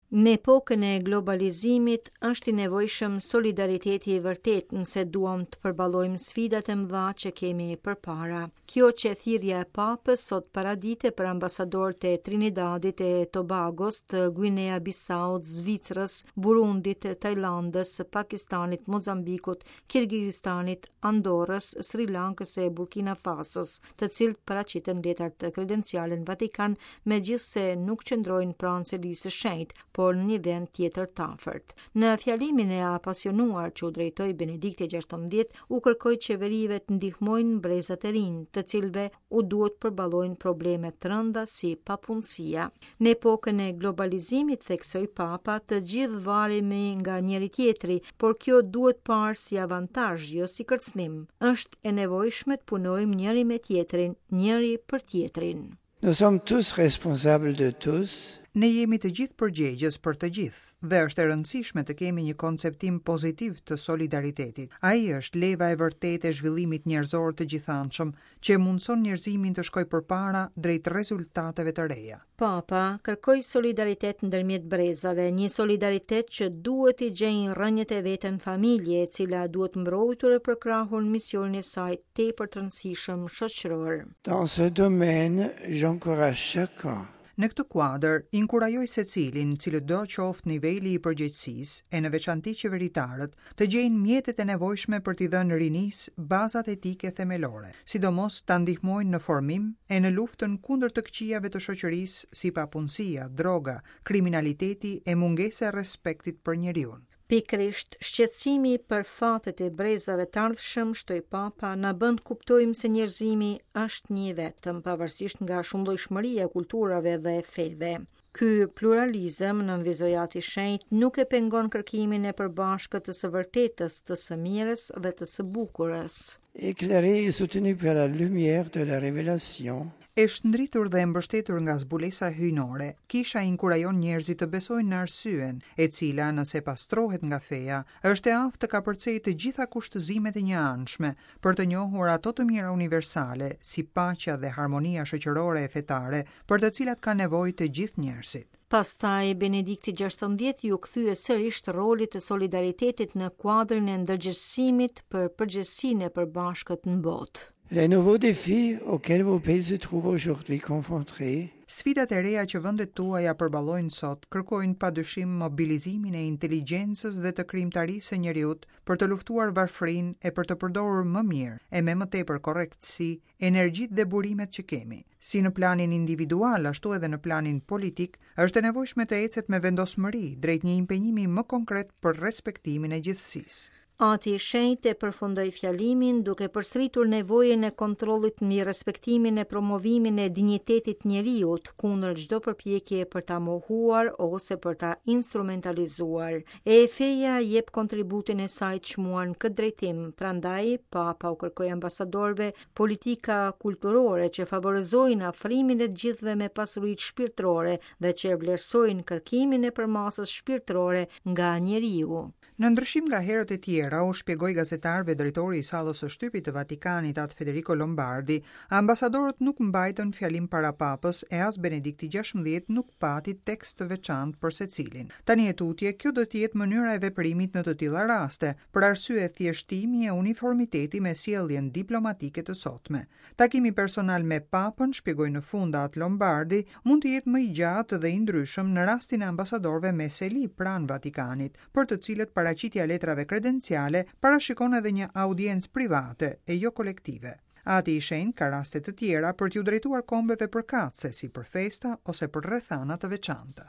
Në epokën e globalizimit është i nevojshëm solidariteti i vërtetë nëse duam të përballojmë sfidat e mëdha që kemi përpara. Kjo qe thirrja e Papës sot paradite për ambasadorët e Trinidadit e Tobagos, të Guinea Bissaut, Zvicrës, Burundit, Tajlandës, Pakistanit, Mozambikut, Kirgizistanit, Andorrës, Sri Lankës e Burkina Fasos, të cilët paraqitën letrat kredenciale në Vatikan, megjithëse nuk qëndrojnë pranë Selisë së Shenjtë, por në një vend tjetër të afërt. Në fjalimin e apasionuar që u drejtoi Benedikti XVI, u kërkoi qeverive të ndihmojnë brezat e rinj, të cilëve u duhet të përballojnë probleme të rënda si papunësia. Në epokën e globalizimit, theksoi Papa, të gjithë varemi nga njëri-tjetri, por kjo duhet parë si avantazh, jo si kërcënim. Është e nevojshme të punojmë njëri me tjetrin, njëri për tjetrin. Nous sommes tous responsables de tous. Ne jemi të gjithë përgjegjës për të gjithë dhe është e rëndësishme të kemi një konceptim pozitiv të solidaritetit. Ai është leva e vërtetë e zhvillimit njerëzor të gjithanshëm, që e mundëson njerëzimin të shkojë përpara drejt rezultateve të reja. Papa kërkoi solidaritet ndërmjet brezave, një solidaritet që duhet t'i gjejë rrënjët e veta në familje, e cila duhet mbrojtur e përkrahur në misionin e saj tepër të rëndësishëm shoqëror. Dans ce domaine, j'encourage chacun Në këtë kuadër, inkurajoj secilin, cilëdo qoftë niveli i përgjegjësisë, e në veçanti qeveritarët, të gjejnë mjetet e nevojshme për t'i dhënë rinisë bazat etike themelore, sidomos ta ndihmojnë në formim e në luftën kundër të këqijave të shoqërisë si papunësia, droga, kriminaliteti e mungesa e respektit për njeriun. Pikërisht, shqetësimi për fatet e brezave të ardhshëm, shtoi Papa, na bën të kuptojmë se njerëzimi është një i vetëm, pavarësisht nga shumëllojshmëria e kulturave dhe feve. Ky pluralizëm, nënvizoi Ati i Shenjtë, nuk e pengon kërkimin e përbashkët të së vërtetës, të së mirës dhe të së bukurës. Éclairée et soutenue par la lumière de la révélation, E shndritur dhe e mbështetur nga zbulesa hyjnore, Kisha inkurajon njerëzit të besojnë në arsyen, e cila, nëse pastrohet nga feja, është e aftë të kapërcejë të gjitha kushtëzimet e njëanshme, për të njohur ato të mira universale, si paqja dhe harmonia shoqërore e fetare, për të cilat kanë nevojë të gjithë njerëzit. Pastaj, Benedikti XVI iu kthye sërish rolit të solidaritetit në kuadrin e ndërgjegjësimit për përgjegjësinë e përbashkët në botë. Les nouveaux défis auxquels vos pays se trouvent aujourd'hui confrontés. Sfidat e reja që vendet tuaja përballojnë sot kërkojnë padyshim mobilizimin e inteligjencës dhe të krijimtarisë së njeriut për të luftuar varfërinë e për të përdorur më mirë e me më tepër korrektësi energjitë dhe burimet që kemi. Si në planin individual ashtu edhe në planin politik, është e nevojshme të ecet me vendosmëri drejt një impenjimi më konkret për respektimin e gjithësisë. Ati i Shenjtë e përfundoi fjalimin duke përsëritur nevojën e kontrollit mbi respektimin e promovimin e dinjitetit të njeriut kundër çdo përpjekjeje për ta mohuar ose për ta instrumentalizuar. E feja jep kontributin e saj të çmuar në këtë drejtim, prandaj Papa u kërkoi ambasadorëve politika kulturore që favorizojnë afrimin e të gjithëve me pasuritë shpirtërore dhe që e vlerësojnë kërkimin e përmasës shpirtërore nga njeriu. Në ndryshim nga herët e tjera, u shpjegoi gazetarëve drejtori i Sallës së Shtypit të Vatikanit, At Federico Lombardi, ambasadorët nuk mbajtën fjalim para Papës e as Benedikti XVI nuk pati tekst të veçantë për secilin. Tani e tutje, kjo do të jetë mënyra e veprimit në të tilla raste, për arsye thjeshtimi e uniformiteti me sjelljen diplomatike të sotme. Takimi personal me Papën, shpjegoi në fund At Lombardi, mund të jetë më i gjatë dhe i ndryshëm në rastin e ambasadorëve me seli pranë Vatikanit, për të cilët paraqitja e letrave kredenciale parashikon edhe një audiencë private e jo kolektive. Ati i Shenjtë ka raste të tjera për t'iu drejtuar kombeve përkatëse, si për festa ose për rrethana të veçanta.